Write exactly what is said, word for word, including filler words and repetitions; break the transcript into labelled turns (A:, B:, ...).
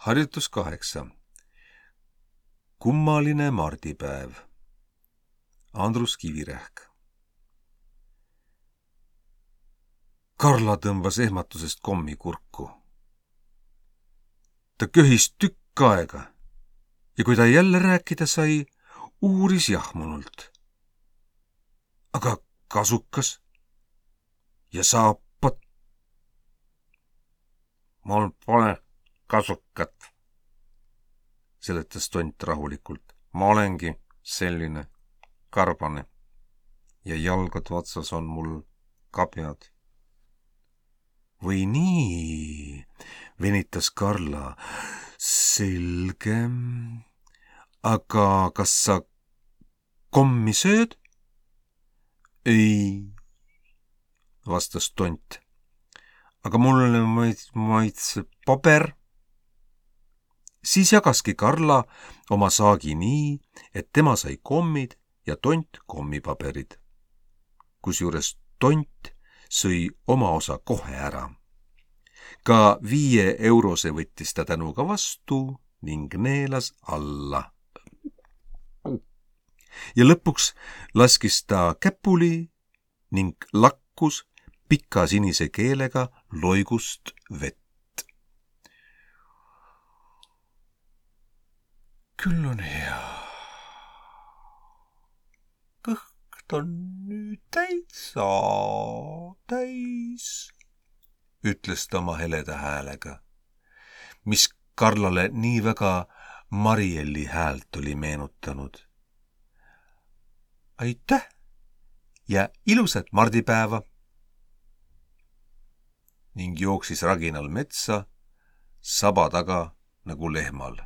A: Harjutus kaheksa. Kummaline mardipäev. Andrus Kivirähk. Karla tõmbas ehmatusest kommi kurku. Ta köhis tükk aega ja kui ta jälle rääkida sai, uuris jahmunult. Aga kasukas ja saapad? Mul pole kasukat, seletas tont rahulikult. Ma olengi selline karbane ja jalgade otsas on mul kabjad. Või nii, venitas Karla. Selge. Aga kas sa kommi sööd? Ei, vastas tont. Aga mulle maitseb paber. Siis jagaski Karla oma saagi nii, et tema sai kommid ja tont kommipaberid. Kusjuures tont sõi oma osa kohe ära. Ka viie eurose võttis ta tänuga vastu ning neelas alla. Ja lõpuks laskis ta käpuli ning lakkus pika sinise keelega loigust vett. Küll on hea. Kõht on nüüd täitsa täis, ütles ta oma heleda häälega, mis Karlale nii väga Marielli häält oli meenutanud. Aitäh ja ilusat mardipäeva! Ning jooksis raginal metsa saba taga nagu lehmal.